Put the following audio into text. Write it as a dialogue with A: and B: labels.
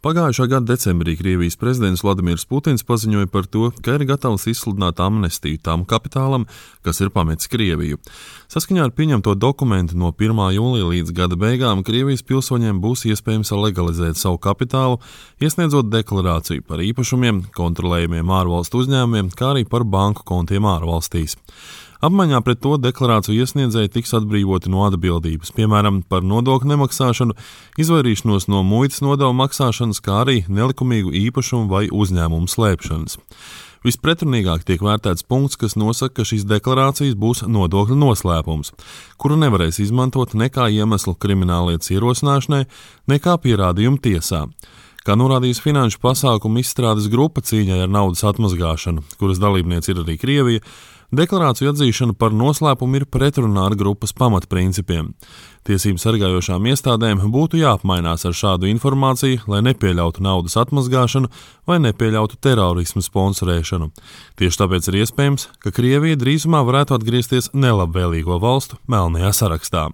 A: Pagājušā gada decembrī Krievijas prezidents Vladimirs Putins paziņoja par to, ka ir gatavs izsludināt amnestiju tam kapitālam, kas ir pametis Krieviju. Saskaņā ar pieņemto dokumentu no 1. jūlija līdz gada beigām Krievijas pilsoņiem būs iespējams legalizēt savu kapitālu, iesniedzot deklarāciju par īpašumiem, kontrolējumiem ārvalstu uzņēmumiem, kā arī par banku kontiem ārvalstīs. Apmaiņā pret to deklarāciju iesniedzēji tiks atbrīvoti no atbildības, piemēram, par nodokļu nemaksāšanu, izvairīšanos no muitas nodevu maksāšanas, kā arī nelikumīgu īpašumu vai uzņēmumu slēpšanas. Vispretrunīgāk tiek vērtēts punkts, kas nosaka, ka šīs deklarācijas būs nodokļu noslēpums, kuru nevarēs izmantot nekā iemeslu krimināllietas ierosināšanai, nekā pierādījumu tiesā. Kā norādījis Finanšu pasākumu izstrādes grupa cīņai ar naudas atmazgāšanu, kuras dalībniece ir arī Krievija, deklarāciju atzīšana par noslēpumu ir pretrunā ar grupas pamatprincipiem. Tiesību sargājošām iestādēm būtu jāapmainās ar šādu informāciju, lai nepieļautu naudas atmazgāšanu vai nepieļautu terorismu sponsorēšanu. Tieši tāpēc ir iespējams, ka Krievija drīzumā varētu atgriezties nelabvēlīgo valstu melnajā sarakstā.